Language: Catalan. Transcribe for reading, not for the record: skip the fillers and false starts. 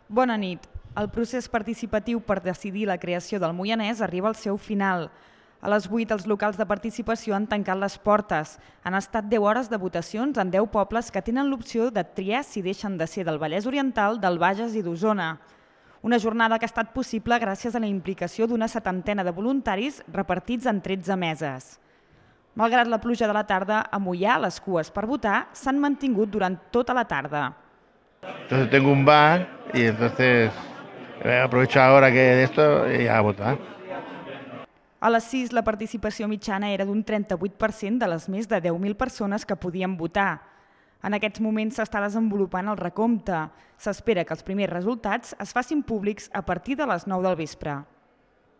Bona nit. El procés participatiu per decidir la creació del Moianès arriba al seu final. A les 8 els locals de participació han tancat les portes. Han estat 10 hores de votacions en 10 pobles que tenen l'opció de triar si deixen de ser del Vallès Oriental, del Bages i d'Osona. Una jornada que ha estat possible gràcies a la implicació d'una 70ena de voluntaris repartits en 13 meses. Malgrat la pluja de la tarda, a Moià les cues per votar s'han mantingut durant tota la tarda. Entonces tengo un bar y entonces aprovecho ahora que de esto y a votar. A les 6 la participació mitjana era d'un 38% de les més de 10.000 persones que podien votar. En aquests moments s'està desenvolupant el recompte. S'espera que els primers resultats es facin públics a partir de les 9 del vespre.